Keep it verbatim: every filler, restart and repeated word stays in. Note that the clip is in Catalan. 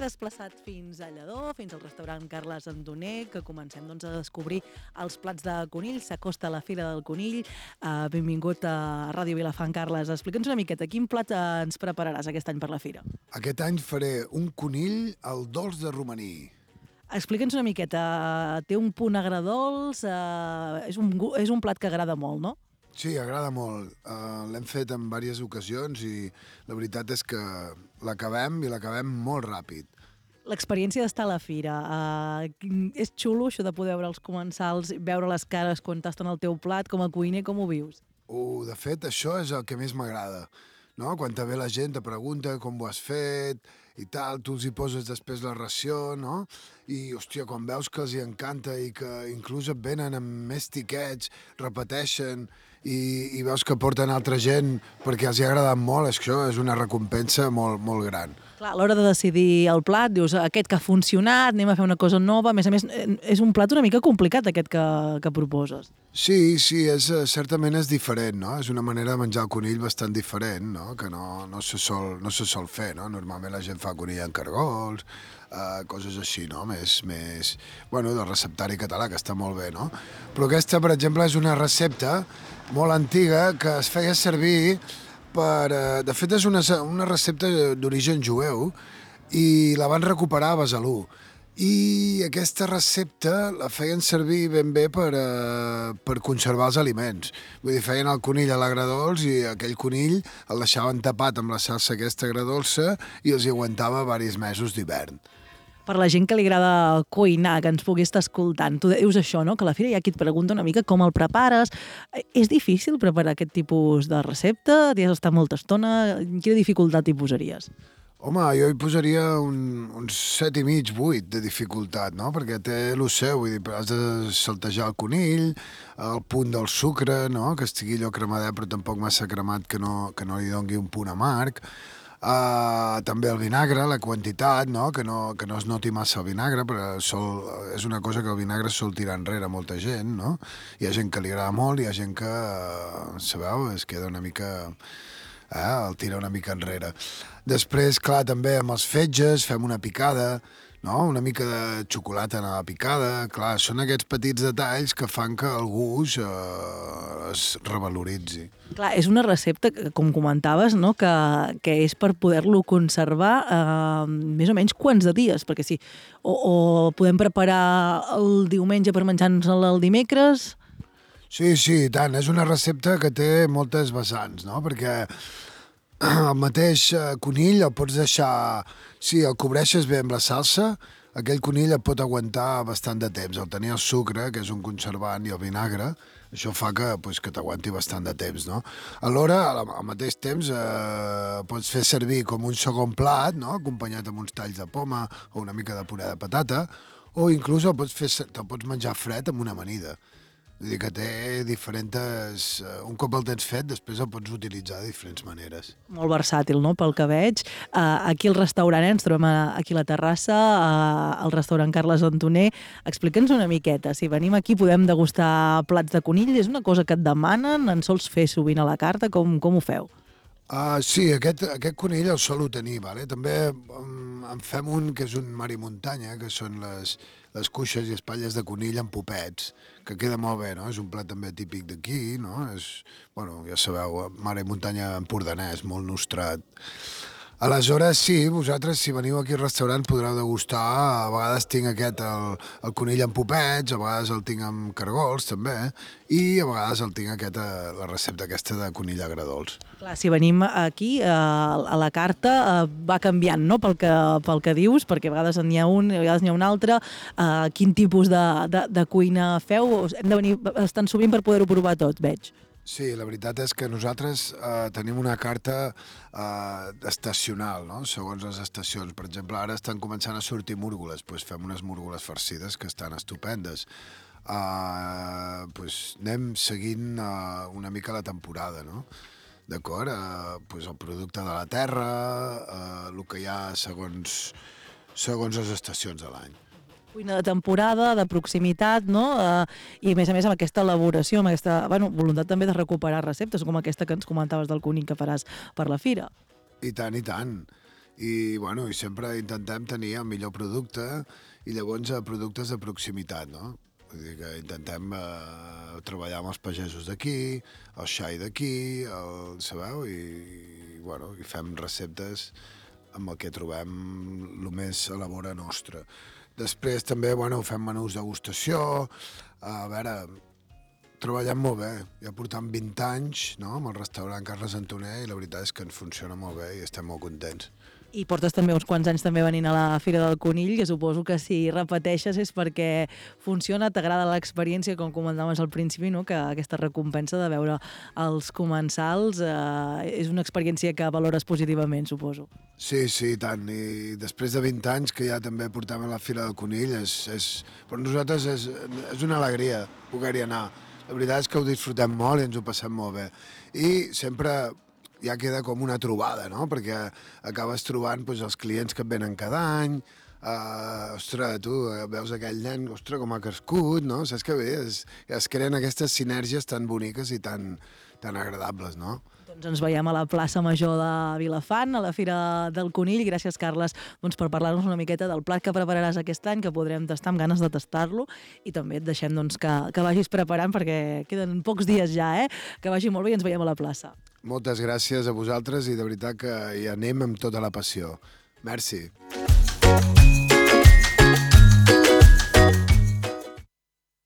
desplaçat fins a Lledó, fins al restaurant Carles Andoner, que comencem doncs, a descobrir els plats de conill. S'acosta a la Fira del Conill. Uh, benvingut a Ràdio Vilafant, Carles. Explica'ns una miqueta, quin plat ens prepararàs aquest any per la Fira? Aquest any faré un conill al dolç de romaní. Explica'ns una miqueta, té un punt agredolç, uh, és, un, gu- és un plat que agrada molt, no? Sí, agrada molt. Uh, L'hem fet en diverses ocasions i la veritat és que l'acabem i l'acabem molt ràpid. L'experiència d'estar a la fira, uh, és xulo això de poder veure els comensals, veure les cares quan tasten el teu plat, com a cuiner, com ho vius? Uh, de fet, això és el que més m'agrada. No? Quan te ve la gent, te pregunta com ho has fet i tal, tu els hi poses després la ració, no? I, hòstia, quan veus que els hi encanta i que inclús et venen amb més tiquets, repeteixen i, i veus que porten altra gent perquè els hi ha agradat molt, això és una recompensa molt, molt gran. Clar, a l'hora de decidir el plat, dius, aquest que ha funcionat, anem a fer una cosa nova. A més a més, és un plat una mica complicat, aquest que, que proposes. Sí, sí, és, eh, certament és diferent, no? És una manera de menjar el conill bastant diferent, no? Que no, no, se sol, no se sol fer, no? Normalment la gent fa conill en cargols, eh, coses així, no? Més, més, bueno, del receptari català, que està molt bé, no? Però aquesta, per exemple, és una recepta molt antiga que es feia servir per... Eh, de fet, és una, una recepta d'origen jueu i la van recuperar a Besalú. I aquesta recepta la feien servir ben bé per, eh, per conservar els aliments. Vull dir, feien el conill a l'agredolç i aquell conill el deixaven tapat amb la salsa aquesta agredolça i els hi aguantava diversos mesos d'hivern. Per la gent que li agrada cuinar, que ens pugui estar escoltant, tu dius això, no? Que a la fira hi ha qui et pregunta una mica com el prepares. És difícil preparar aquest tipus de recepta? T'hi has d'estar molta estona? Quina dificultat hi posaries? Home, jo hi posaria un, uns set i mig, vuit de dificultat, no? Perquè té el seu, vull dir, has de saltejar el conill, el punt del sucre, no? Que estigui allò cremadet però tampoc massa cremat que no, que no li dongui un punt amarg. Uh, també el vinagre, la quantitat, no? Que, no, que no es noti massa el vinagre, però sol, és una cosa que el vinagre sol tirar enrere a molta gent, no? Hi ha gent que li agrada molt, hi ha gent que, uh, sabeu, es queda una mica... Eh, el tira una mica enrere. Després, clar, també amb els fetges fem una picada, no? Una mica de xocolata en la picada. Clar, són aquests petits detalls que fan que el gust eh, es revaloritzi. Clar, és una recepta, com comentaves, no? que, que és per poder-lo conservar eh, més o menys quants de dies, perquè sí, o, o podem preparar el diumenge per menjar-nos-el el dimecres... Sí, sí, i tant. És una recepta que té moltes vessants, no? Perquè el mateix conill el pots deixar... Si el cobreixes bé amb la salsa, aquell conill et pot aguantar bastant de temps. El tenir el sucre, que és un conservant, i el vinagre, això fa que, pues, que t'aguanti bastant de temps, no? Alhora, al mateix temps, eh, pots fer servir com un segon plat, no? Acompanyat amb uns talls de poma o una mica de puré de patata, o inclús el pots, fer, te'l pots menjar fred amb una amanida. Vull dir que té diferents... Un cop el tens fet, després el pots utilitzar de diferents maneres. Molt versàtil, no?, pel que veig. Uh, aquí al restaurant, eh, ens trobem a, aquí a la terrassa, uh, al restaurant Carles Andoner. Explica'ns una miqueta. Si venim aquí podem degustar plats de conill. És una cosa que et demanen? En sols fer sovint a la carta? Com, com ho feu? Uh, sí, aquest, aquest conill el solo tenir, vale? També um, en fem un que és un mar i muntanya, que són les, les cuixes i espatlles de conill amb popets, que queda molt bé, no? És un plat també típic d'aquí, no? És, bueno, ja sabeu, mar i muntanya empordanès, molt nostrat. Aleshores, sí, vosaltres, si veniu aquí al restaurant, podreu degustar. A vegades tinc aquest, el, el conill amb popets, a vegades el tinc amb cargols, també, i a vegades el tinc aquest, la recepta aquesta de conill agredolç. Clar, si venim aquí, uh, a la carta, uh, va canviant, no?, pel que, pel que dius, perquè a vegades n'hi ha un, a vegades n'hi ha un altre. Uh, quin tipus de, de, de cuina feu? Hem de venir bastant sovint per poder-ho provar tot, veig. Sí, la veritat és que nosaltres eh, tenim una carta eh, estacional, no? Segons les estacions. Per exemple, ara estan començant a sortir múrgoles, doncs fem unes múrgoles farcides que estan estupendes. Eh, doncs anem seguint eh, una mica la temporada, no? D'acord? Eh, doncs el producte de la terra, eh, el que hi ha segons, segons les estacions de l'any. Cuina de temporada, de proximitat, no? Uh, I a més a més amb aquesta elaboració, amb aquesta, bueno, voluntat també de recuperar receptes, com aquesta que ens comentaves del conill que faràs per la fira. I tant, i tant. i, bueno, i sempre intentem tenir el millor producte i llavors eh, productes de proximitat, no? Vull dir que intentem eh, treballar amb els pagesos d'aquí, el xai d'aquí, el, sabeu? I, i, bueno, i fem receptes amb el que trobem el més a la vora nostra. Després també, bueno, fem menús degustació, a veure, treballem molt bé, ja portem vint anys, no?, amb el restaurant Carles Antoner, i la veritat és que ens funciona molt bé i estem molt contents. I portes també uns quants anys també venint a la Fira del Conill, que suposo que si repeteixes és perquè funciona, t'agrada l'experiència, com comentaves al principi, no?, que aquesta recompensa de veure els comensals eh, és una experiència que valores positivament, suposo. Sí, sí, i tant. I després de vint anys que ja també portem a la Fira del Conill, és, és, per nosaltres és, és una alegria poder-hi anar. La veritat és que ho disfrutem molt i ens ho passem molt bé. I sempre ja queda com una trobada, no?, perquè acabes trobant doncs, els clients que et venen cada any, uh, ostres, tu veus aquell nen, ostres, com ha crescut, no?, saps que bé, es, es creen aquestes sinergies tan boniques i tan, tan agradables, no? Doncs ens veiem a la plaça Major de Vilafant, a la Fira del Conill. Gràcies, Carles, doncs, per parlar-nos una miqueta del plat que prepararàs aquest any, que podrem tastar amb ganes de tastar-lo, i també et deixem doncs, que, que vagis preparant, perquè queden pocs dies ja, eh? Que vagi molt bé i ens veiem a la plaça. Moltes gràcies a vosaltres i de veritat que hi anem amb tota la passió. Merci.